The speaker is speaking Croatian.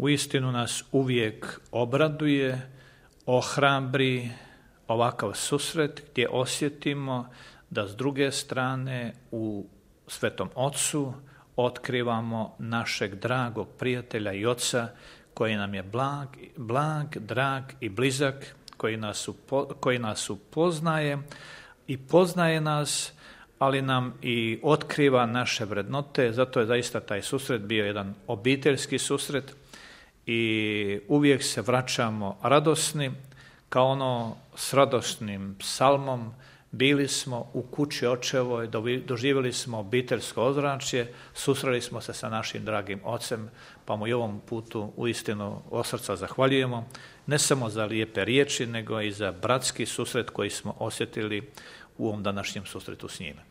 Uistinu nas uvijek obraduje, ohrabri ovakav susret gdje osjetimo da s druge strane u Svetom Ocu otkrivamo našeg dragog prijatelja i oca koji nam je blag, drag i blizak, koji nas upoznaje i poznaje nas, ali nam i otkriva naše vrednote. Zato je zaista taj susret bio jedan obiteljski susret i uvijek se vraćamo radosni, kao ono s radosnim psalmom. Bili smo u kući očevoj, doživjeli smo obiteljsko ozračje, susreli smo se sa našim dragim ocem, pa mu i ovom putu uistinu od srca zahvaljujemo, ne samo za lijepe riječi, nego i za bratski susret koji smo osjetili u ovom današnjem susretu s njime.